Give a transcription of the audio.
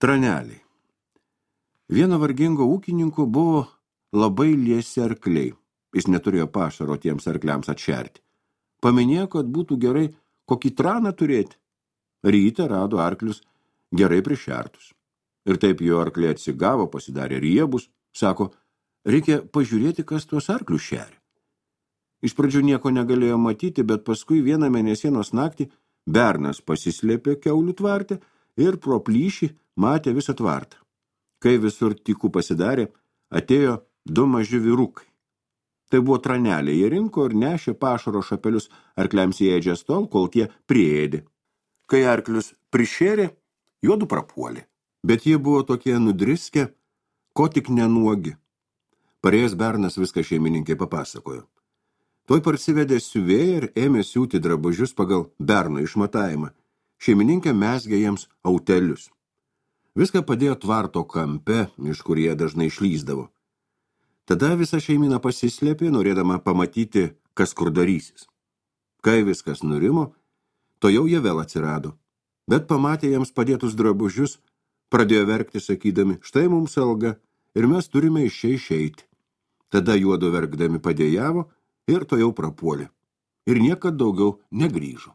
Traneliai. Vieno vargingo ūkininko buvo labai liesi arkliai. Jis neturėjo pašaro tiems arkliams atšerti. Paminėjo, kad būtų gerai kokį traną turėti. Rytą rado arklius gerai prišertus. Ir taip jo arkliai atsigavo, pasidarė riebus. Sako, reikia pažiūrėti, kas tuos arklius šeria. Iš pradžių nieko negalėjo matyti, bet paskui vieną mėnesienos naktį bernas pasislėpė kiaulių tvarte ir pro plyšį matė visą tvartą. Kai visur tikų pasidarė, atėjo 2 maži vyrukai. Tai buvo traneliai, jie rinko ir nešė pašaro šapelius arkliams įėdžias tol, kol tie priėdė. Kai arklius prišėrė, juodu prapuolė, bet jie buvo tokie nudriskę, ko tik nenuogi. Parėjęs bernas viską šeimininkai papasakojo. Tuoj parsivedė siuvėją ir ėmė siūti drabužius pagal berno išmatavimą. Šeimininkė mezgė jiems autelius. Viską padėjo tvarto kampe, iš kur jie dažnai išlįsdavo. Tada visa šeimina pasislėpė, norėdama pamatyti, kas kur darysis. Kai viskas nurimo, to jau jie vėl atsirado. Bet pamatė jiems padėtus drabužius, pradėjo verkti sakydami, štai mums alga ir mes turime iš čia išeiti. Tada juodu verkdami padėjavo ir to jau prapuolė. Ir niekad daugiau negrįžo.